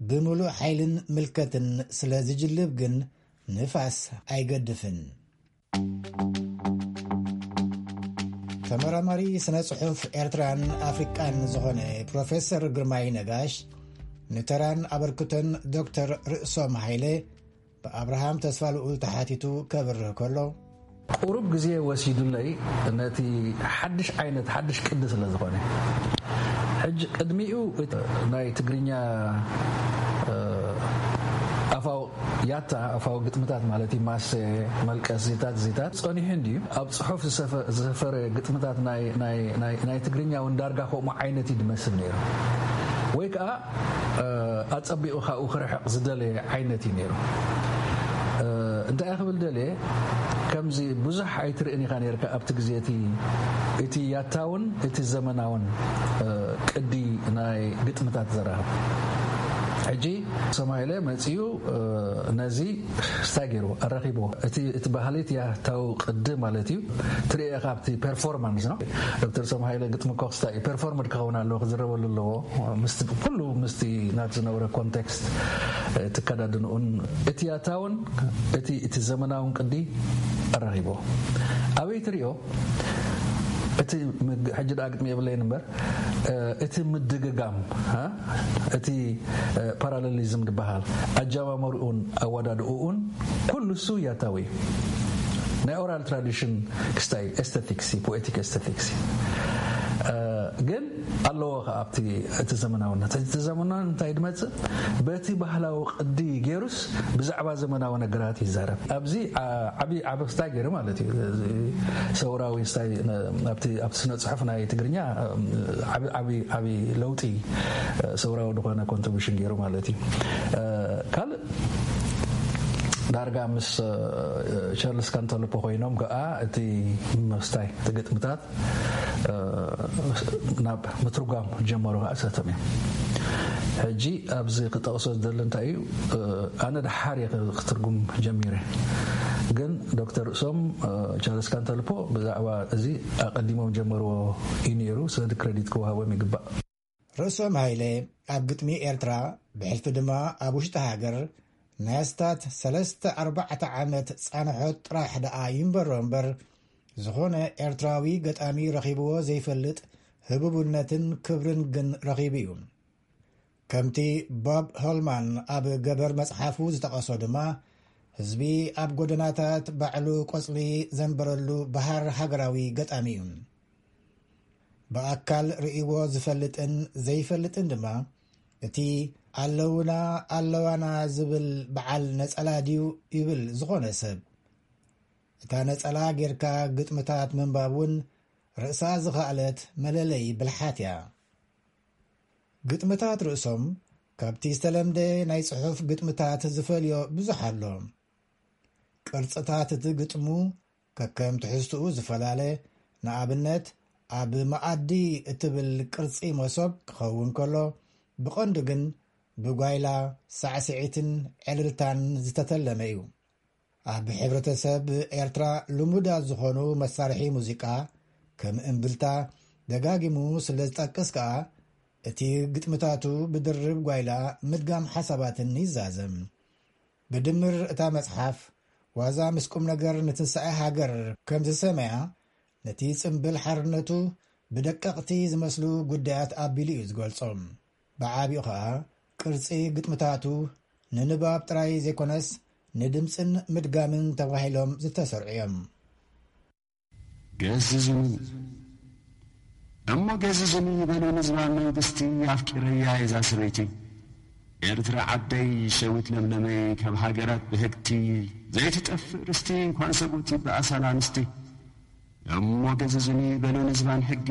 ብምሉእ ሓይልን ምልከትን ስለ ዝጅልብ ግን ንፋስ ኣይገድፍን። ተመራማሪ ስነ ጽሑፍ ኤርትራን ኣፍሪቃን ዝኾነ ፕሮፌሰር ግርማይ ነጋሽ፣ ንተራን ኣበርክቶን ዶክተር ርእሶም ሃይለ ብኣብርሃም ተስፋልኡል ተሓቲቱ ከብርህ ከሎ፣ ቁሩብ ግዜ ወሲዱለይ፣ ነቲ ሓድሽ ዓይነት፣ ሓድሽ ቅዲ ስለ ዝኾነ። ሕጂ ቅድሚኡ እቲ ናይ ትግርኛ፣ እ፣ ኣፋው ያታ፣ ኣፋው ግጥምታት ማለት እዩ፣ ማሰ፣ መልቀስ፣ ዚታት፣ ዚታት ጸኒሑ እንድዩ። ኣብ ጽሑፍ ዝሰፈ-፣ ዝሰፈረ ግጥምታት ናይ፣ ናይ፣ ናይ፣ ናይ ትግርኛ እውን ዳርጋ ከምኡ ዓይነት እዩ ዝመስል ነይሩ። ወይ ከኣ፣ እ፣ ኣጸቢቑ ካብኡ ክርሕቕ ዝደለየ ዓይነት እዩ ነይሩ። እ፣ እንታይ ክብል ደልየ፣ ከምዚ ብዙሕ ኣይትርእን ኢኻ ነይርካ ኣብቲ ግዜ እቲ፣ እቲ ያታውን እቲ ዘመናውን፣ እ፣ ቅዲ ናይ ግጥምታት ዘራኽብ። ሕጂ ሰማይለ መጺኡ፣ እ፣ ነዚ ስታይ ገይሩ ኣራኺብዎ። እቲ፣ እቲ ባህሊ እቲ ያታዊ ቅዲ ማለት እዩ። ትርእየ ካብቲ ፐርፎርማንስ ነው። ዶክተር ሰማይለ ግጥሚ ኮክስታ እዩ። ፐርፎርምድ ክኸውን ኣለዎ፣ ክዝረበሉ ኣለዎ። ምስቲ፣ ኩሉ ምስቲ ናቲ ዝነበረ ኮንቴክስት፣ እ፣ ትከዳድንኡን እቲ ያታውን እቲ፣ እቲ ዘመናውን ቅዲ ኣራኺብዎ። ኣበይ ትርእዮ? እቲ ምግ-፣ ሕጂ ደኣ ግጥሚ የብለይን እምበር፣ እ፣ እቲ ምድግጋም፣ እ፣ እቲ፣ እ፣ ፓራሌሊዝም ዝበሃል ኣጀማምርኡን ኣወዳድእኡን ኩሉ እሱ ያታዊ እዩ። ናይ ኦራል ትራዲሽን ክስታይ ኤስቴቲክስ እዩ፣ ፖኤቲክ ኤስቴቲክስ እዩ። እ፣ ግን ኣለዎ ከኣ ኣብቲ፣ እቲ ዘመናውነት። እቲ ዘመናውነት እንታይ ድመጽእ? በቲ ባህላዊ ቅዲ ገይሩስ ብዛዕባ ዘመናዊ ነገራት ይዛረብ። ኣብዚ፣ ዓ-፣ ዓቢ፣ ዓቢ ስታይ ገይሩ ማለት እዩ። እዚ ሰውራዊ ስታይ ነ-፣ ኣብቲ፣ ኣብቲ ስነ ጽሑፍ ናይ ትግርኛ፣ ዓቢ፣ ዓቢ፣ ዓቢ ለውጢ፣ ሰውራዊ ዝኾነ ኮንትሪቢሽን ገይሩ ማለት እዩ። ካልእ ዳርጋ ምስ፣ እ፣ ቻርልስ ካንተልፖ ኮይኖም ከኣ እቲ ምስታይ፣ እቲ ግጥምታት፣ እ፣ ናብ ምትርጓም ጀመሩ ከኣ ሰቶም እዮም። ሕጂ ኣብዚ ክጠቕሶ ዝደሊ እንታይ እዩ፣ እ፣ ኣነ ደሓር እየ ክ-፣ ክትርጉም ጀሚረ። ግን ዶክተር ርእሶም፣ እ፣ ቻርልስ ካንተልፖ ብዛዕባ እዚ ኣቐዲሞም ጀመርዎ እዩ ነይሩ። ስለዚ ክሬዲት ክወሃቦም ይግባእ። ርእሶም ሃይለ ኣብ ግጥሚ ኤርትራ፣ ብሕልፊ ድማ ኣብ ውሽጢ ሃገር ናይ ኣስታት ሰለስተ ኣርባዕተ ዓመት ጻንሖት ጥራሕ ደኣ ይንበሮ እምበር፣ ዝኾነ ኤርትራዊ ገጣሚ ረኺብዎ ዘይፈልጥ ህቡብነትን ክብርን ግን ረኺቡ እዩ። ከምቲ ቦብ ሆልማን ኣብ ገበር መጽሓፉ ዝጠቐሶ ድማ፣ ህዝቢ ኣብ ጎደናታት ባዕሉ ቆጽሊ ዘንበረሉ በሃር ሃገራዊ ገጣሚ እዩ። ብኣካል ርእይዎ ዝፈልጥን ዘይፈልጥን ድማ፣ እቲ ኣለውና ኣለዋና ዝብል በዓል ነጸላ ድዩ ይብል ዝኾነ ሰብ። እታ ነጸላ ጌርካ ግጥምታት ምንባብ እውን ርእሳ ዝኸኣለት መለለዪ ብልሓት እያ። ግጥምታት ርእሶም ካብቲ ዝተለምደ ናይ ጽሑፍ ግጥምታት ዝፈልዮ ብዙሕ ኣሎ። ቅርጽታት እቲ ግጥሙ ከከም ትሕዝትኡ ዝፈላለ፣ ንኣብነት፣ ኣብ መኣዲ እትብል ቅርጺ መሶብ ክኸውን ከሎ፣ ብቐንዱ ግን ብጓይላ፣ ሳዕስዒትን ዕልልታን ዝተተለመ እዩ። ኣብ ሕብረተሰብ ኤርትራ ልሙዳት ዝኾኑ መሳርሒ ሙዚቃ፣ ከም እምብልታ፣ ደጋጊሙ ስለ ዝጠቅስ ከኣ፣ እቲ ግጥምታቱ ብድርብ ጓይላ ምድጋም ሓሳባትን ይዛዘም። ብድምር እታ መጽሓፍ፣ ዋዛ ምስ ቁም ነገር ንትንሳኤ ሃገር ከም ዝሰመያ፣ ነቲ ጽምብል ሓርነቱ ብደቀቕቲ ዝመስሉ ጉዳያት ኣቢሉ እዩ ዝገልጾም። ብዓቢኡ ኸኣ፣ ቅርጺ ግጥምታቱ ንንባብ ጥራይ ዘይኮነስ፣ ንድምጽን ምድጋምን ተባሂሎም ዝተሰርዑ እዮም። ገዝዙኒ፣ እሞ ገዝዙኒ በሉ ንዝባን መንግስቲ፣ ኣፍቂረያ እዛ ሰበይቲ። ኤርትራ ዓደይ፣ ሸዊት ለምለመይ፣ ካብ ሃገራት ብህግቲ፣ ዘይትጠፍእ ርስቲ፣ እንኳን ሰብኡቲ ብኣሳል ኣንስቲ። እሞ ገዝዙኒ በሉ ንዝባን ሕጊ፣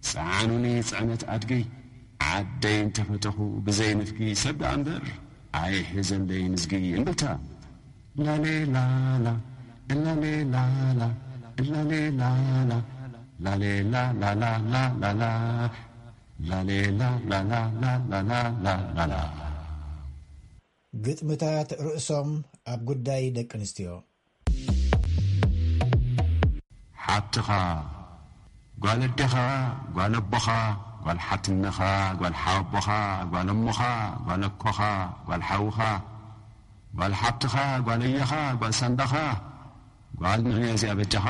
ጸዓኑኒ ጽዕነት ኣድጊ፣ ዓደይ እንተፈተኹ ብዘይ ንፍጊ፣ ሰብ ደኣ እምበር ኣይሕዘለይ ንዝጊ። እምብልታ። ላሌ ላላ፣ እላሌ ላላ፣ እላሌ ላላ፣ ላሌ ላላ፣ ላላ፣ ላላ፣ ላላ፣ ላሌ ላላ፣ ላላ፣ ላላ፣ ላላ። ግጥምታት ርእሶም ኣብ ጉዳይ ደቂ ኣንስትዮ። ሓብትኻ፣ ጓል ኣዴኻ፣ ጓል ኣቦኻ፣ ጓል ሓትነኻ፣ ጓል ሓወቦኻ፣ ጓል እሞኻ፣ ጓል ኣኮኻ፣ ጓል ሓውኻ፣ ጓል ሓብትኻ፣ ጓል ኣያኻ፣ ጓል ሳንዳኻ፣ ጓል ንዕዮ እዚኣ በጃኻ፣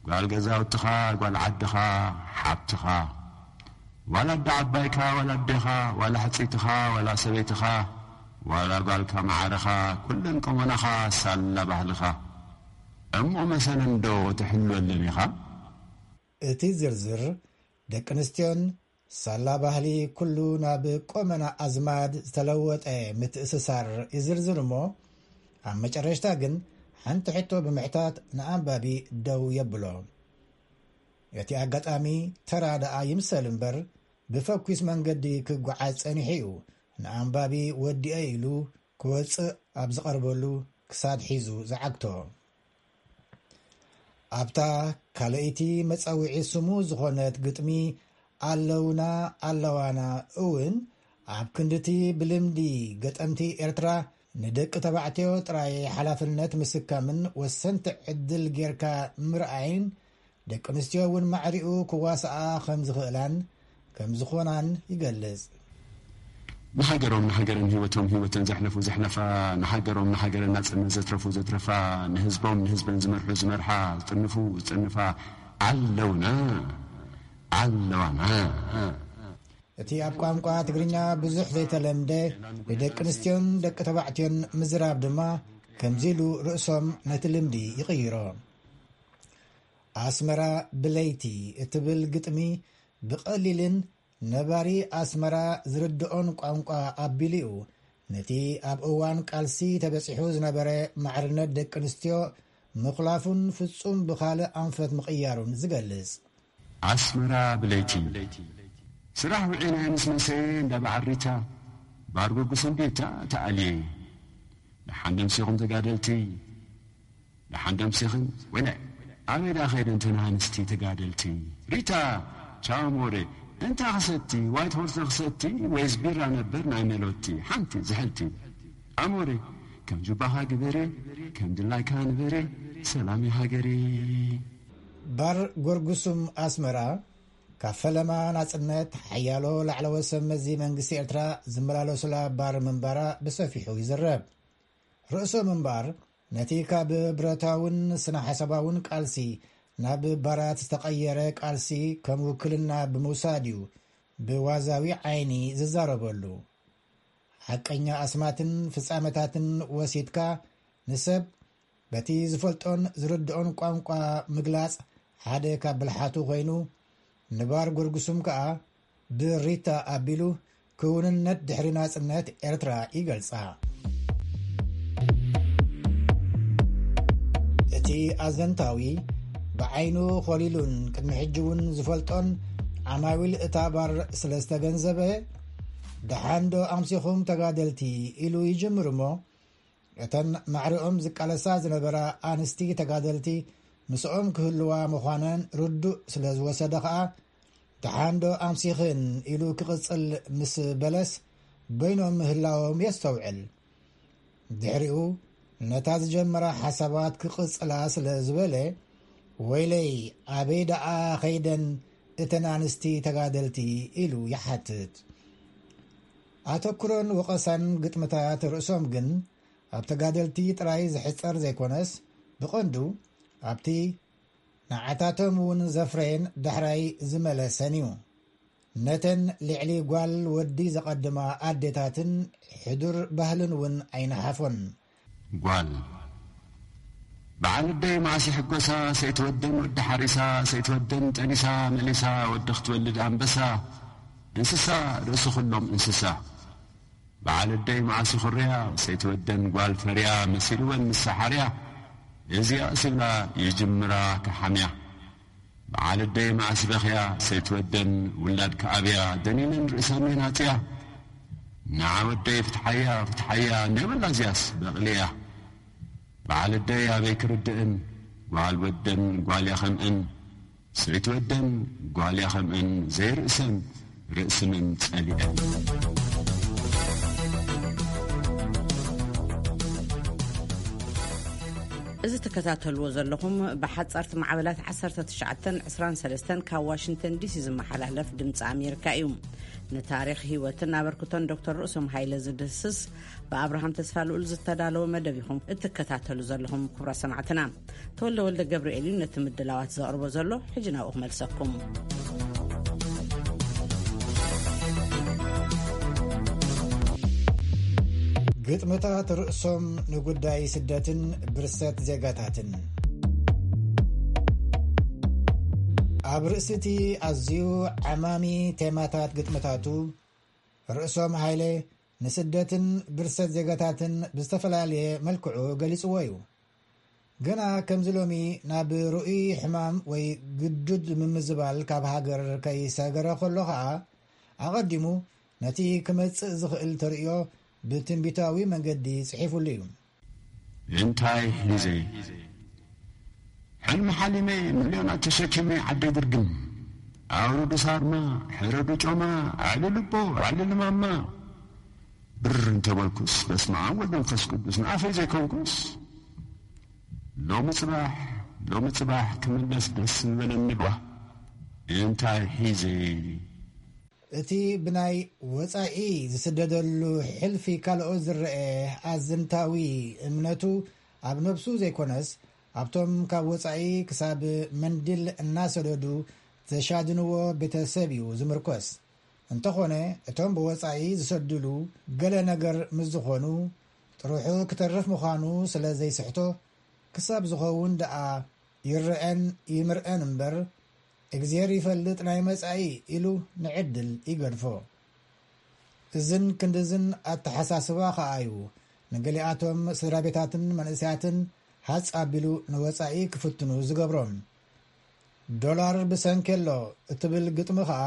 ጓል ገዛውትኻ፣ ጓል ዓድኻ፣ ሓብትኻ፣ ዋላ ኣደ ዓባይካ፣ ዋላ ኣዴኻ፣ ዋላ ሕጽይትኻ፣ ዋላ ሰበይትኻ፣ ዋላ ጓልካ መዓረኻ፣ ኩለን ቀሞናኻ፣ ሳላ ባህልኻ። እሞ መሰለን ዶ ትሕልወለን ኢኻ? እቲ ዝርዝር ደቂ ኣንስትዮን ሳላ ባህሊ ኩሉ ናብ ቆመና ኣዝማድ ዝተለወጠ ምትእስሳር ይዝርዝር እሞ፣ ኣብ መጨረሽታ ግን ሓንቲ ሕቶ ብምሕታት ንኣንባቢ ደው የብሎ። እቲ ኣጋጣሚ ተራ ደኣ ይምሰል እምበር፣ ብፈኲስ መንገዲ ክጓዓዝ ጸኒሑ እዩ። ንኣንባቢ ወዲኤ ኢሉ ክወጽእ ኣብ ዝቐርበሉ ክሳድ ሒዙ ዝዓግቶ። ኣብታ ካልኣይቲ መጸውዒ ስሙ ዝኾነት ግጥሚ ኣለውና ኣለዋና እውን፣ ኣብ ክንድቲ ብልምዲ ገጠምቲ ኤርትራ ንደቂ ተባዕትዮ ጥራይ ሓላፍነት ምስካምን ወሰንቲ ዕድል ጌርካ ምርኣይን፣ ደቂ ኣንስትዮ እውን ማዕሪኡ ክዋስኣ ከም ዝኽእላን ከም ዝኾናን ይገልጽ። ንሃገሮም ንሃገረን ህይወቶም ህይወተን ዘሕለፉ ዘሕለፋ፣ ንሃገሮም ንሃገረን ናጽነት ዘትረፉ ዘትረፋ፣ ንህዝቦም ንህዝበን ዝመርሑ ዝመርሓ፣ ዝጥንፉ ዝጥንፋ ኣለውና ኣለዋና። እቲ ኣብ ቋንቋ ትግርኛ ብዙሕ ዘይተለምደ፣ ንደቂ ኣንስትዮን ደቂ ተባዕትዮን ምዝራብ ድማ ከምዚ ኢሉ ርእሶም ነቲ ልምዲ ይቕይሮ። ኣስመራ ብለይቲ እትብል ግጥሚ ብቐሊልን ነባሪ ኣስመራ ዝርድኦን ቋንቋ ኣቢሉ'ዩ ነቲ ኣብ እዋን ቃልሲ ተበጺሑ ዝነበረ ማዕርነት ደቂ ኣንስትዮ ምኹላፉን ፍጹም ብኻልእ ኣንፈት ምቕያሩን ዝገልጽ። ኣስመራ ብለይቲ። ስራሕ ውዒለ ምስ መሰየ እንዳ በዓል ሪታ፣ ባር ጉጉስ እንዴታ ተኣልየ። ደሓን ደምሲኹም ተጋደልቲ። ደሓን ደምሲኽን ወይለ፣ ኣበይ ደኣ ኸይደን እተን ኣንስቲ ተጋደልቲ? ሪታ፣ ቻው ሞሬ፣ እንታይ ክሰቲ? ዋይት ሆርስ ዶ ክሰቲ ወይስ ቢራ ነበር ናይ መሎቲ? ሓንቲ ዝሕልቲ። ኣሞሬ፣ ከም ጁባኻ ግበሬ፣ ከም ድላይካ ንበሬ፣ ሰላም እዩ ሃገሬ። ባር ጎርጉሱም ኣስመራ፣ ካብ ፈለማ ናጽነት ሓያሎ ላዕለዎት ሰብ መዚ መንግስቲ ኤርትራ ዝመላለሱላ ባር ምንባራ ብሰፊሑ ይዝረብ። ርእሶም እምበኣር፣ ነቲ ካብ ብረታውን ስነ ሓሳባውን ቃልሲ ናብ ባራት ዝተቐየረ ቃልሲ ከም ውክልና ብምውሳድ እዩ ብዋዛዊ ዓይኒ ዝዛረበሉ። ሓቀኛ ኣስማትን ፍጻመታትን ወሲድካ ንሰብ በቲ ዝፈልጦን ዝርድኦን ቋንቋ ምግላጽ ሓደ ካብ ብልሓቱ ኮይኑ፣ ንባር ጎርጉሱም ከኣ ብሪታ ኣቢሉ ክውንነት ድሕሪ ናጽነት ኤርትራ ይገልጻ። እቲ ኣዘንታዊ ብዓይኑ ኮሊሉን ቅድሚ ሕጂ እውን ዝፈልጦን ዓማዊል እታ ባር ስለ ዝተገንዘበ፣ "ደሓን ዶ ኣምሲኹም ተጋደልቲ?" ኢሉ ይጅምር እሞ፣ እተን ማዕሪኦም ዝቃለሳ ዝነበራ ኣንስቲ ተጋደልቲ ምስኦም ክህልዋ ምዃነን ርዱእ ስለ ዝወሰደ ኸኣ፣ "ደሓን ዶ ኣምሲኽን?" ኢሉ ክቕጽል ምስ በለስ፣ በይኖም ምህላዎም የስተውዕል። ድሕሪኡ፣ ነታ ዝጀመራ ሓሳባት ክቕጽላ ስለ ዝበለ፣ "ወይለይ፣ ኣበይ ደኣ ኸይደን እተን ኣንስቲ ተጋደልቲ?" ኢሉ ይሓትት። ኣተኩሮን ወቐሳን ግጥምታት ርእሶም ግን ኣብ ተጋደልቲ ጥራይ ዝሕጸር ዘይኮነስ፣ ብቐንዱ ኣብቲ ንዓታቶም እውን ዘፍረየን ዳሕራይ ዝመለሰን እዩ። ነተን ልዕሊ ጓል ወዲ ዘቐድማ ኣዴታትን ሕዱር ባህልን እውን ኣይነሓፎን። ጓል በዓል ኣደይ መዓስ ይሕጎሳ፣ ሰይትወደን ወዲ ሓሪሳ፣ ሰይትወደን ጠኒሳ መሊሳ፣ ወዲ ክትወልድ ኣንበሳ፣ እንስሳ ርእሲ ኩሎም እንስሳ። በዓል ኣደይ መዓስ ይኹርያ፣ ሰይትወደን ጓል ፈርያ፣ መሲልወን ምስ ሰሓርያ፣ እዚኣስ ይብላ ይጅምራ ክሓምያ። በዓል ኣደይ መዓስ በኽያ፣ ሰይትወደን ውላድ ክኣብያ፣ ደኒነን ርእሰን የናጽያ። ንዓ ወደይ ፍትሓያ፣ ፍትሓያ፣ እንደ በላ እዚኣስ በቕልያ። በዓል ኣደይ ኣበይ ክርድእን፣ ጓል ወደን ጓል ያኸምእን፣ ሰይትወደን ጓል ያኸምእን፣ ዘይርእሰን ርእስምን ጸሊአን። እዚ ትከታተልዎ ዘለኹም ብሓጻርቲ ማዕበላት ዓሰርተ ትሽዓተን ዕስራን ሰለስተን ካብ ዋሽንግተን ዲሲ ዝመሓላለፍ ድምፂ ኣሜሪካ እዩ። ንታሪኽ ህይወትን ኣበርክቶን ዶክተር ርእሶም ሃይለ ዝድህስስ ብኣብርሃም ተስፋ ልኡል ዝተዳለወ መደብ ኢኹም እትከታተሉ ዘለኹም። ክቡራት ሰማዕትና፣ ተወልደ ወልደ ገብርኤል እዩ ነቲ ምድላዋት ዘቕርቦ ዘሎ። ሕጂ ናብኡ ክመልሰኩም። ግጥምታት ርእሶም ንጉዳይ ስደትን ብርሰት ዜጋታትን። ኣብ ርእሲ እቲ ኣዝዩ ዓማሚ ቴማታት ግጥምታቱ፣ ርእሶም ሃይለ ንስደትን ብርሰት ዜጋታትን ብዝተፈላለየ መልክዑ ገሊጽዎ እዩ። ገና ከምዚ ሎሚ ናብ ርኡይ ሕማም ወይ ግዱድ ምምዝባል ካብ ሃገር ከይሰገረ ከሎ ኸኣ፣ ኣቐዲሙ ነቲ ክመጽእ ዝኽእል ተርእዮ ብትንቢታዊ መንገዲ ጽሒፉሉ እዩ። እንታይ ሒዘ? ሕልሚ ሓሊመ፣ ሚልዮናት ተሸኪመ፣ ዓደይ ድርግም። ኣውርዱ ሳርማ፣ ሕረዱ ጮማ፣ ኣዕልሉ ኣቦ፣ ኣዕልሉ ማማ። ብር እንተበልኩስ፣ በስመ ኣብ ወወልድ ወመንፈስ ቅዱስ፣ ንኣፈይ ዘይኮንኩስ። ሎሚ ጽባሕ፣ ሎሚ ጽባሕ ክምለስ ደስ ምበለኒ ጓ። እንታይ ሒዘ? እቲ ብናይ ወጻኢ ዝስደደሉ ሕልፊ ካልኦት ዝረአ ኣዘንታዊ እምነቱ ኣብ ነብሱ ዘይኮነስ፣ ኣብቶም ካብ ወጻኢ ክሳብ መንድል እናሰደዱ ዘሻድንዎ ቤተሰብ እዩ ዝምርኮስ። እንተኾነ፣ እቶም ብወጻኢ ዝሰድሉ ገለ ነገር ምስ ዝኾኑ፣ ጥርሑ ክተርፍ ምዃኑ ስለ ዘይስሕቶ፣ ክሳብ ዝኸውን ደኣ ይረአን ይምርአን እምበር፣ እግዜር ይፈልጥ ናይ መጻኢ ኢሉ ንዕድል ይገድፎ። እዝን ክንድዝን ኣተሓሳስባ ኸኣ እዩ ንገሊኣቶም ስድራ ቤታትን መንእሰያትን ሃጽ ኣቢሉ ንወጻኢ ክፍትኑ ዝገብሮም። ዶላር ብሰንኬሎ እትብል ግጥሚ ኸኣ፣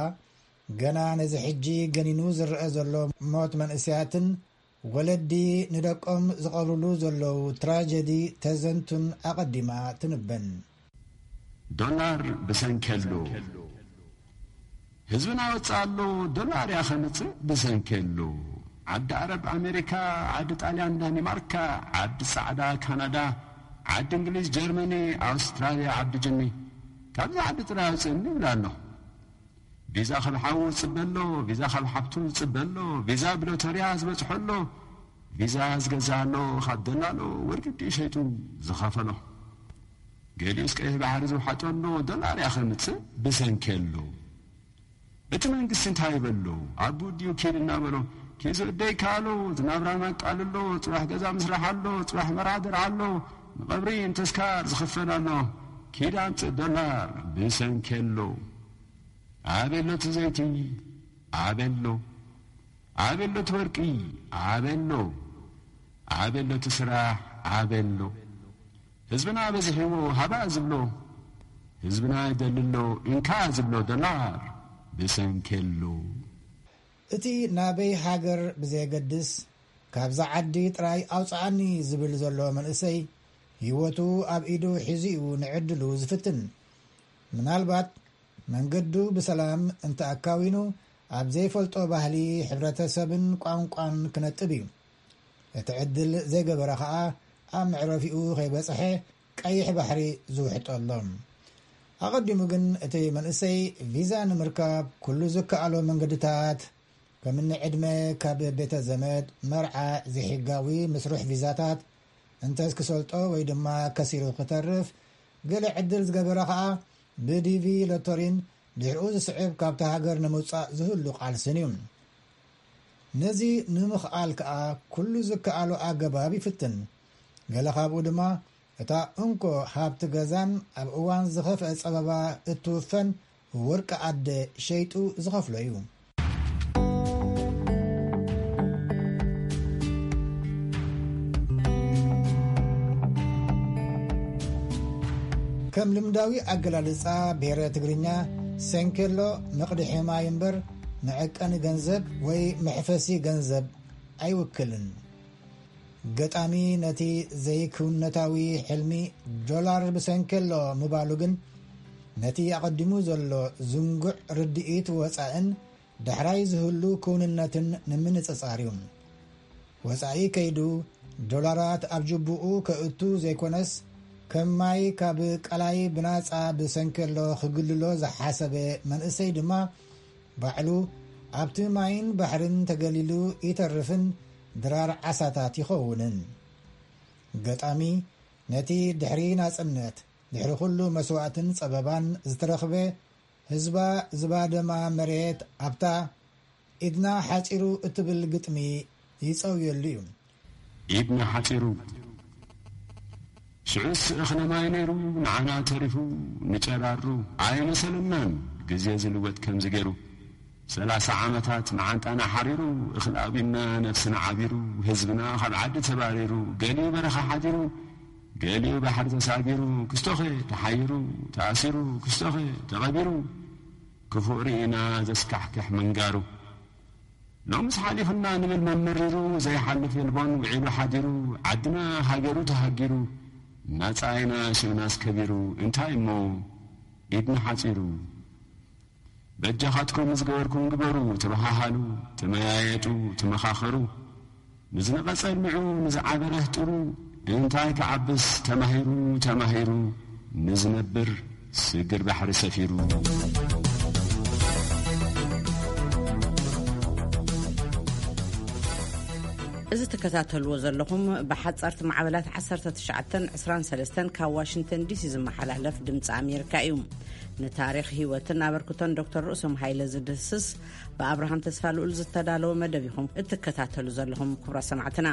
ገና ነዚ ሕጂ ገኒኑ ዝረአ ዘሎ ሞት መንእሰያትን ወለዲ ንደቆም ዝቐብርሉ ዘለዉ ትራጀዲ ተዘንቱን ኣቐዲማ ትንበን። ዶላር ብሰንኬሎ። ህዝብና ወጽእ ኣሎ፣ ዶላር እያ ከምጽእ ብሰንኬሎ። ዓዲ ዓረብ ኣሜሪካ፣ ዓዲ ጣልያን ዳኒማርካ፣ ዓዲ ጻዕዳ ካናዳ፣ ዓዲ እንግሊዝ ጀርመኒ፣ ኣውስትራልያ ዓዲ ጅኒ። ካብዚ ዓዲ ጥራይ ኣውጽእኒ ይብል ኣሎ። ቪዛ ካብ ሓዉ ዝጽበ ኣሎ፣ ቪዛ ካብ ሓብቱ ዝጽበ ኣሎ፣ ቪዛ ብሎተርያ ዝበጽሖ ኣሎ፣ ቪዛ ዝገዝእ ኣሎ፣ ካብ ደላሎ ወርቂ ድዩ ሸይጡ ዝኸፈሎ። ገሊኡስ ቀይሕ ባሕሪ ዝውሓጦ ኣሎ፣ ዶላር እያ ከምጽእ ብሰንኪ ኣሎ። እቲ መንግስቲ እንታይ ይበሎ? ኣቡ ድዩ ኪድ እናበሎ፣ ኪድ ዝእደይ ካሎ፣ እቲ ናብራና ቃል ኣሎ፣ ጽባሕ ገዛ ምስራሕ ኣሎ፣ ጽባሕ መርዓ ደርዓ ኣሎ፣ ንቐብሪ ንተስካር ዝኽፈል ኣሎ። ኪድ ኣምጽእ ዶላር ብሰንኪ ኣሎ። ኣበሎ እቲ ዘይቲ፣ ኣበሎ። ኣበሎ እቲ ወርቂ፣ ኣበሎ። ኣበሎ እቲ ስራሕ፣ ኣበሎ። ህዝብና በዚሕዎ ሃባ ዝብሎ፣ ህዝብና ይደሊ ኣሎ እንካ ዝብሎ ዶላር ብሰንኪ ኣሎ። እቲ ናበይ ሃገር ብዘየገድስ፣ ካብዛ ዓዲ ጥራይ ኣውጽኣኒ ዝብል ዘሎ መንእሰይ፣ ህይወቱ ኣብ ኢዱ ሒዙ እዩ ንዕድሉ ዝፍትን። ምናልባት መንገዱ ብሰላም እንተ ኣካዊኑ፣ ኣብ ዘይፈልጦ ባህሊ፣ ሕብረተሰብን ቋንቋን ክነጥብ እዩ። እቲ ዕድል ዘይገበረ ኸኣ፣ ኣብ መዕረፊኡ ከይበጽሐ ቀይሕ ባሕሪ ዝውሕጦ ኣሎ። ኣቐዲሙ ግን እቲ መንእሰይ ቪዛ ንምርካብ ኩሉ ዝከኣሎ መንገድታት፣ ከምኒ ዕድመ ካብ ቤተ ዘመድ፣ መርዓ፣ ዘይሕጋዊ ምስሩሕ ቪዛታት፣ እንተስ ክሰልጦ ወይ ድማ ከሲሩ ክተርፍ፣ ገለ ዕድል ዝገበረ ኸኣ ብዲቪ ሎተሪን ድሕሪኡ ዝስዕብ ካብታ ሃገር ንምውጻእ ዝህሉ ቃልስን እዩ። ነዚ ንምኽኣል ከኣ ኩሉ ዝከኣሎ ኣገባብ ይፍትን። ገለ ካብኡ ድማ እታ እንኮ ሃብቲ ገዛን ኣብ እዋን ዝኸፍአ ጸበባ እትውፈን ወርቂ ኣደ ሸይጡ ዝኸፍሎ እዩ። ከም ልምዳዊ ኣገላልጻ ብሄረ ትግርኛ፣ ሰንኬሎ መቕድሒ ማይ እምበር መዐቀኒ ገንዘብ ወይ መሕፈሲ ገንዘብ ኣይውክልን። ገጣሚ ነቲ ዘይክውንነታዊ ሕልሚ ዶላር ብሰንኬሎ ምባሉ ግን፣ ነቲ ኣቐዲሙ ዘሎ ዝንጉዕ ርድኢት ወጻእን ዳሕራይ ዝህሉ ክውንነትን ንምንጽጻር እዩ። ወጻኢ ከይዱ ዶላራት ኣብ ጅቡኡ ከእቱ ዘይኮነስ፣ ከም ማይ ካብ ቀላይ ብናጻ ብሰንኬሎ ክግልሎ ዝሓሰበ መንእሰይ ድማ፣ ባዕሉ ኣብቲ ማይን ባሕርን ተገሊሉ ይተርፍን ድራር ዓሳታት ይኸውንን። ገጣሚ ነቲ ድሕሪ ናጽነት፣ ድሕሪ ኩሉ መስዋእትን ጸበባን ዝተረኽበ ህዝባ ዝባደማ መሬት ኣብታ ኢድና ሓጺሩ እትብል ግጥሚ ይጸውየሉ እዩ። ኢድና ሓጺሩ። ሽዑስ እኽለ ማይ ነይሩ፣ ንዓና ተሪፉ፣ ንጨራሩ ኣይመሰለናን፣ ግዜ ዝልወጥ ከምዚ ገይሩ። ሰላሳ ዓመታት ንዓንጣና ሓሪሩ፣ እኽሊ ኣብዩና ነብስና ዓቢሩ፣ ህዝብና ካብ ዓዲ ተባሪሩ፣ ገሊኡ በረኻ ሓዲሩ፣ ገሊኡ ባሕሪ ተሳጊሩ፣ ክስቶኸ ተሓይሩ፣ ተኣሲሩ፣ ክስቶኸ ተቐቢሩ፣ ክፉእ ርኢና ዘስካሕክሕ ምንጋሩ። ሎምስ ሓሊፉና ንብል መመሪሩ፣ ዘይሓልፍ የልቦን ውዒሉ ሓዲሩ፣ ዓድና ሃገሩ ተሃጊሩ፣ ናጻ ኢና ሽምናስ ከቢሩ፣ እንታይ እሞ ኢድና ሓጺሩ። በጃኻትኩም ዝገበርኩም ግበሩ፣ ተበሃሃሉ፣ ተመያየጡ፣ ተመኻኸሩ። ንዝነቐጸ ኣልሚዑ፣ ንዝዓበረ ኣህጢሩ፣ እንታይ ክዓብስ ተማሂሩ፣ ተማሂሩ፣ ንዝነብር ስግር ባሕሪ ሰፊሩ። እዚ ትከታተልዎ ዘለኹም ብሓጻርቲ ማዕበላት ዓሰርተ ትሽዓተን ዕስራን ሰለስተን ካብ ዋሽንግተን ዲሲ ዝመሓላለፍ ድምፂ ኣሜሪካ እዩ። ንታሪኽ ህይወትን ኣበርክቶን ዶክተር ርእሶም ሃይለ ዝድህስስ ብኣብርሃም ተስፋ ልኡል ዝተዳለወ መደብ ኢኹም እትከታተሉ ዘለኹም ክቡራት ሰማዕትና።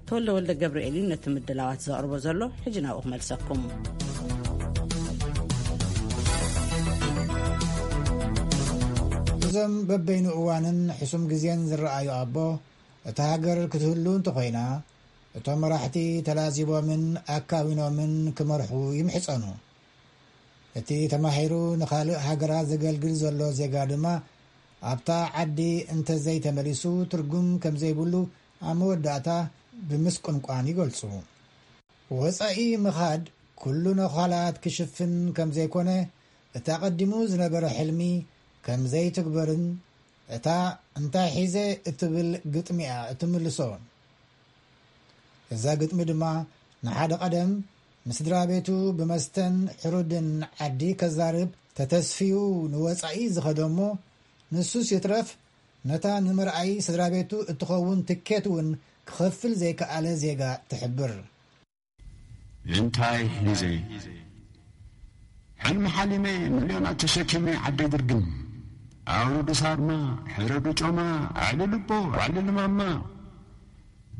ተወልደ ወልደ ገብርኤል እዩ ነቲ ምድላዋት ዘቕርቦ ዘሎ። ሕጂ ናብኡ ክመልሰኩም። እዞም በበይኑ እዋንን ሕሱም ግዜን ዝረኣዩ ኣቦ፣ እታ ሃገር ክትህሉ እንተኾይና፣ እቶም መራሕቲ ተላዚቦምን ኣካዊኖምን ክመርሑ ይምሕጸኑ። እቲ ተማሂሩ ንኻልእ ሃገራት ዘገልግል ዘሎ ዜጋ ድማ፣ ኣብታ ዓዲ እንተዘይተመሊሱ ትርጉም ከምዘይብሉ ኣብ መወዳእታ ብምስቁንቋን ይገልጹ። ወጻኢ ምኻድ ኩሉ ነዃላት ክሽፍን ከምዘይኮነ፣ እቲ ኣቐዲሙ ዝነበረ ሕልሚ ከምዘይትግበርን፣ እታ እንታይ ሒዘ እትብል ግጥሚ'ያ እትምልሶ። እዛ ግጥሚ ድማ ንሓደ ቀደም ምስ ስድራ ቤቱ ብመስተን ሕሩድን ዓዲ ከዛርብ ተተስፍዩ ንወጻኢ ዝኸደ እሞ፣ ንሱስ ይትረፍ ነታ ንመርኣዪ ስድራ ቤቱ እትኸውን ትኬት እውን ክኸፍል ዘይከኣለ ዜጋ ትሕብር። እንታይ ሒዘ? ሕልሚ ሓሊመ፣ ሚልዮናት ተሸኪመ ዓደይ ድርግም። ኣውርዱ ሳርማ፣ ሕረዱ ጮማ፣ ኣዕልሉ ኣቦ፣ ኣዕልሉ ማማ።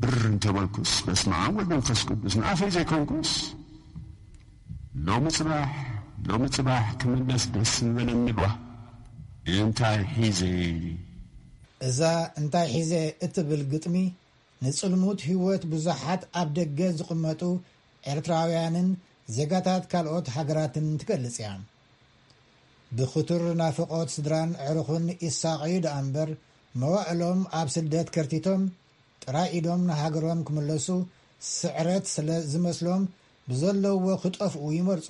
ብር እንተበልኩስ፣ በስመ ኣብ ወወልድ ወመንፈስ ቅዱስ፣ ንኣፈይ ዘይኮንኩስ። ሎሚ ጽባሕ፣ ሎሚ ጽባሕ ክምለስ ደስ ምበለኒ እባ። እንታይ ሒዘ? እዛ እንታይ ሒዘ እትብል ግጥሚ፣ ንጽልሙት ህይወት ብዙሓት ኣብ ደገ ዝቕመጡ ኤርትራውያንን ዜጋታት ካልኦት ሃገራትን ትገልጽ እያ። ብኽቱር ናፍቖት ስድራን ኣዕሩኽን ይሳቐዩ ደኣ እምበር፣ መዋእሎም ኣብ ስደት ከርቲቶም፣ ጥራይ ኢዶም ንሃገሮም ክምለሱ ስዕረት ስለ ዝመስሎም፣ ብዘለውዎ ክጠፍኡ ይመርጹ።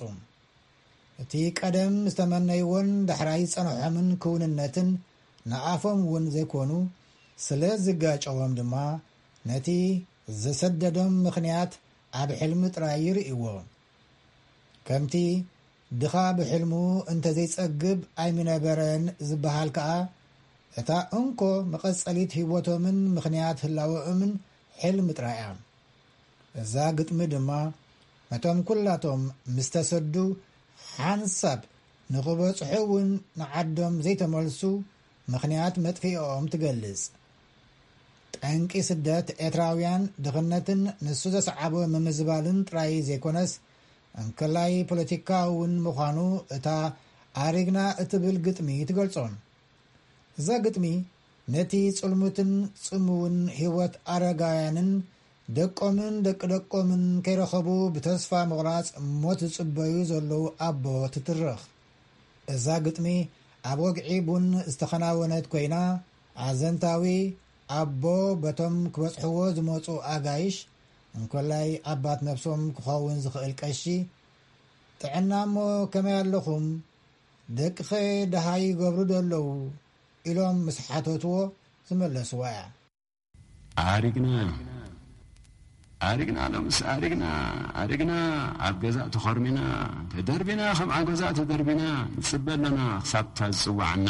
እቲ ቀደም ዝተመነይዎን ዳሕራይ ዝጸንሖምን ክውንነትን ንኣፎም እውን ዘይኮኑ ስለ ዝጋጨዎም ድማ፣ ነቲ ዘሰደዶም ምኽንያት ኣብ ሕልሚ ጥራይ ይርእይዎ። ከምቲ ድኻ ብሕልሙ እንተዘይጸግብ ኣይምነበረን ዝበሃል ከኣ፣ እታ እንኮ መቐጸሊት ህይወቶምን ምኽንያት ህላወኦምን ሕልሚ ጥራይ እያ። እዛ ግጥሚ ድማ ነቶም ኩላቶም ምስ ተሰዱ ሓንሳብ ንኽበጽሑ እውን ንዓዶም ዘይተመልሱ ምኽንያት መጥፍኢኦም ትገልጽ። ጠንቂ ስደት ኤርትራውያን ድኽነትን ንሱ ዘስዓቦ ምምዝባልን ጥራይ ዘይኮነስ፣ እንከላይ ፖለቲካዊ እውን ምዃኑ እታ ኣሪግና እትብል ግጥሚ ትገልጾ። እዛ ግጥሚ ነቲ ጽልሙትን ጽምውን ህይወት ኣረጋውያንን ደቆምን ደቂ ደቆምን ከይረኸቡ ብተስፋ ምቑራጽ ሞት ዝጽበዩ ዘለዉ ኣቦ ትትርኽ። እዛ ግጥሚ ኣብ ወግዒ ቡን ዝተኸናወነት ኮይና፣ ኣዘንታዊ ኣቦ በቶም ክበጽሕዎ ዝመጹ ኣጋይሽ፣ እንኮላይ ኣባት ነብሶም ክኸውን ዝኽእል ቀሺ፣ "ጥዕና እሞ ከመይ ኣለኹም? ደቅኸ ደሃይ ይገብሩ ዶ ኣለዉ?" ኢሎም ምስ ሓተትዎ ዝመለስዋ እያ። ኣሪግና። ኣሪግና፣ ሎምስ ኣሪግና፣ ኣሪግና፣ ኣብ ገዛ ተኾርሚና፣ ተደርቢና፣ ከም ዓጎዛ ተደርቢና፣ ንጽበ ኣለና ክሳብ እታ ዝጽውዓና።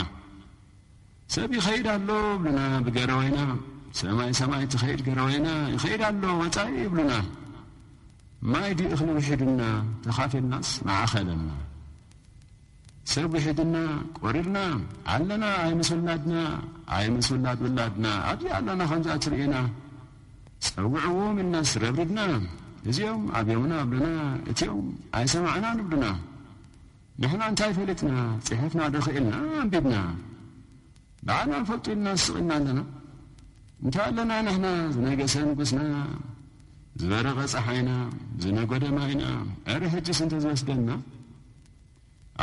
ሰብ ይኸይድ ኣሎ ብሉና ብገረወይና፣ ሰማይ ሰማይ ትኸይድ ገረወይና፣ ይኸይድ ኣሎ ወጻኢ ይብሉና። ማይ ድዩ እኽሊ ውሒዱና፣ ተኻፊልናስ መዓኸለና። ሰብ ውሒድና፣ ቆሪርና፣ ኣለና ኣይምስ ውላድና፣ ኣይምስ ውላድ ውላድና፣ ኣብዚ ኣለና ከምዛ ትርእና። ጸውዕዎም ኢልናስ ረብሪብና፣ እዚኦም ኣብዮምና ኣብሉና፣ እቲኦም ኣይሰማዕናን ይብሉና። ንሕና እንታይ ፈሊጥና፣ ጽሒፍና ዶ ክኢልና ኣንቢብና? ባዕልና ንፈልጡ ኢልና ስቕ ኢልና ኣለና። እንታይ ኣለና ንሕና፣ ዝነገሰ ንጉስና፣ ዝበረቐ ጸሓይና፣ ዝነጎደ ማይና፣ እረ ሕጅስ እንተ ዝወስደና?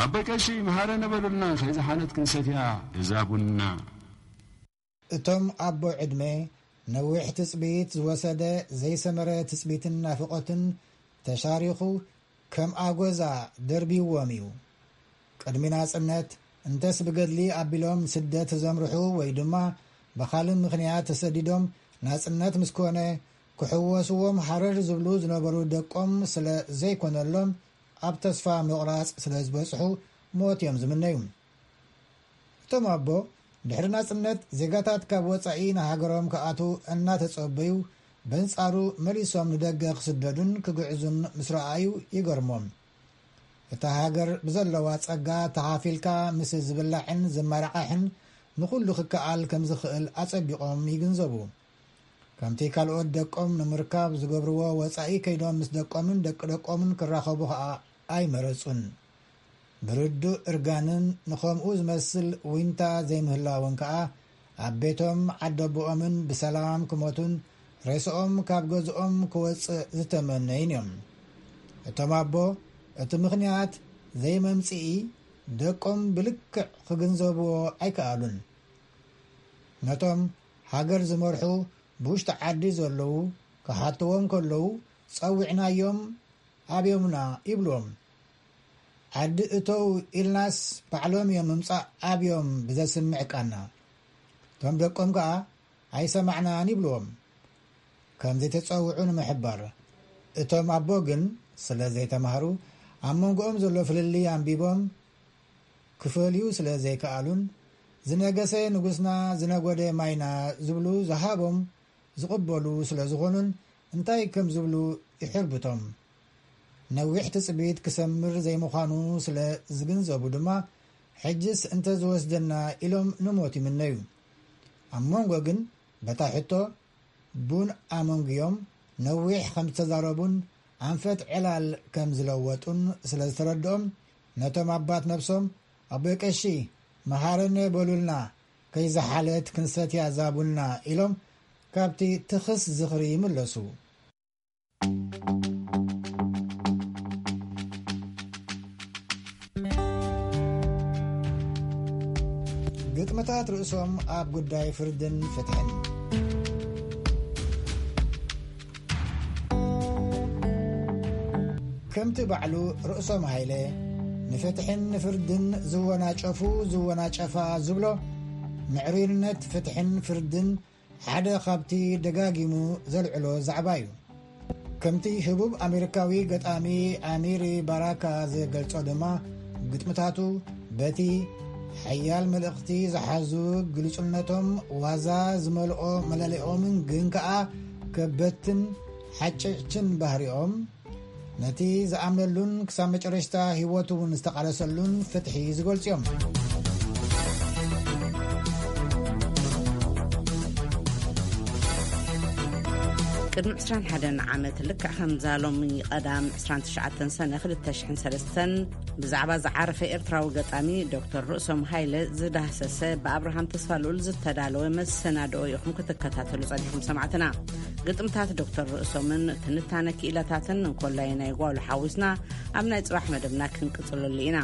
ኣቦይ ቀሺ መሃረነ በሉልና፣ ከይዝሓለት ክንሰትያ እዛ ቡንና። እቶም ኣቦ ዕድመ ነዊሕ ትጽቢት ዝወሰደ ዘይሰመረ ትጽቢትን ናፍቖትን ተሻሪኹ ከም ኣጎዛ ደርቢዎም እዩ። ቅድሚ ናጽነት እንተስ ብገድሊ ኣቢሎም ስደት ዘምርሑ ወይ ድማ ብኻልእ ምኽንያት ተሰዲዶም ናጽነት ምስ ኮነ ክሕወስዎም ሃረር ዝብሉ ዝነበሩ ደቆም ስለ ዘይኮነሎም ኣብ ተስፋ ምቑራጽ ስለ ዝበጽሑ ሞት እዮም ዝምነዩ። እቶም ኣቦ ድሕሪ ናጽነት ዜጋታት ካብ ወጻኢ ንሃገሮም ክኣትዉ እናተጸበዩ በንጻሩ መሊሶም ንደገ ክስደዱን ክግዕዙን ምስ ረኣዩ ይገርሞም። እታ ሃገር ብዘለዋ ጸጋ ተኻፊልካ ምስ ዝብላዕን ዝመራዓሕን ንኹሉ ክከኣል ከም ዝኽእል ኣጸቢቖም ይግንዘቡ። ከምቲ ካልኦት ደቆም ንምርካብ ዝገብርዎ ወጻኢ ከይዶም ምስ ደቆምን ደቂ ደቆምን ክራኸቡ ኸኣ ኣይመረጹን። ብርዱእ እርጋንን ንኸምኡ ዝመስል ዊንታ ዘይምህላውን ከኣ ኣብ ቤቶም ዓደቦኦምን ብሰላም ክሞቱን ሬስኦም ካብ ገዝኦም ክወጽእ ዝተመነዩን እዮም። እቶም ኣቦ እቲ ምኽንያት ዘይመምጽኢ ደቆም ብልክዕ ክግንዘብዎ ኣይከኣሉን። ነቶም ሃገር ዝመርሑ ብውሽጢ ዓዲ ዘለዉ ክሓትዎም ከለዉ ጸዊዕናዮም ኣብዮምና ይብልዎም። ዓዲ እተው ኢልናስ ባዕሎም እዮም ምምጻእ ኣብዮም ብዘስምዕ ቃና። እቶም ደቆም ከኣ ኣይሰማዕናን ይብልዎም። ከም ዘይተጸውዑ ንምሕባር። እቶም ኣቦ ግን ስለ ዘይተማህሩ ኣብ መንጎኦም ዘሎ ፍልልይ ኣንቢቦም ክፈልዩ ስለ ዘይከኣሉን ዝነገሰ ንጉስና ዝነጎደ ማይና ዝብሉ ዝሃቦም ዝቕበሉ ስለ ዝኾኑን እንታይ ከም ዝብሉ ይሕርብቶም። ነዊሕ ትጽቢት ክሰምር ዘይምዃኑ ስለ ዝግንዘቡ ድማ ሕጅስ እንተ ዝወስደና ኢሎም ንሞት ይምነዩ። ኣብ መንጎ ግን በታ ሕቶ ቡን ኣመንጉዮም ነዊሕ ከም ዝተዛረቡን ኣንፈት ዕላል ከም ዝለወጡን ስለ ዝተረድኦም ነቶም ኣባት ነብሶም ኣቦይ ቀሺ መሃረነ በሉልና ከይዝሓለት ክንሰትያ ዛቡና ኢሎም ካብቲ ትኽስ ዝኽሪ ይምለሱ። ግጥምታት ርእሶም ኣብ ጉዳይ ፍርድን ፍትሕን። ከምቲ ባዕሉ ርእሶም ሃይለ ንፍትሕን ንፍርድን ዝወናጨፉ ዝወናጨፋ ዝብሎ ምዕሩይነት ፍትሕን ፍርድን ሓደ ካብቲ ደጋጊሙ ዘልዕሎ ዛዕባ እዩ። ከምቲ ህቡብ ኣሜሪካዊ ገጣሚ ኣሚሪ ባራካ ዝገልጾ ድማ ግጥምታቱ በቲ ሓያል መልእኽቲ ዝሓዙ ግልጹነቶም ዋዛ ዝመልኦ መለለኦምን ግን ከኣ ከበትን ሓጨጭትን ባህሪኦም ነቲ ዝኣምነሉን ክሳብ መጨረሽታ ህይወቱ እውን ዝተቓለሰሉን ፍትሒ ዝገልጹ እዮም። ቅድሚ ዕስራን ሓደን ዓመት ልክዕ ከምዛ ሎሚ ቀዳም ዕስራን ትሽዓተን ሰነ ክልተ ሽሕን ሰለስተን ብዛዕባ ዝዓረፈ ኤርትራዊ ገጣሚ ዶክተር ርእሶም ሃይለ ዝዳህሰሰ ብኣብርሃም ተስፋልኡል ዝተዳለወ መሰናድኦ ኢኹም ክትከታተሉ ጸኒሕኩም ሰማዕትና። ግጥምታት ዶክተር ርእሶምን ትንታነ ክኢላታትን እንኮላይ ናይ ጓሉ ሓዊስና ኣብ ናይ ጽባሕ መደብና ክንቅጽለሉ ኢና።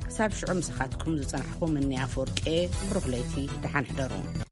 ክሳብ ሽዑ ምሳኻትኩም ዝጸናሕኩ ምኒ ኣፈወርቄ፣ ብሩኽ ለይቲ፣ ደሓን ሕደሩ።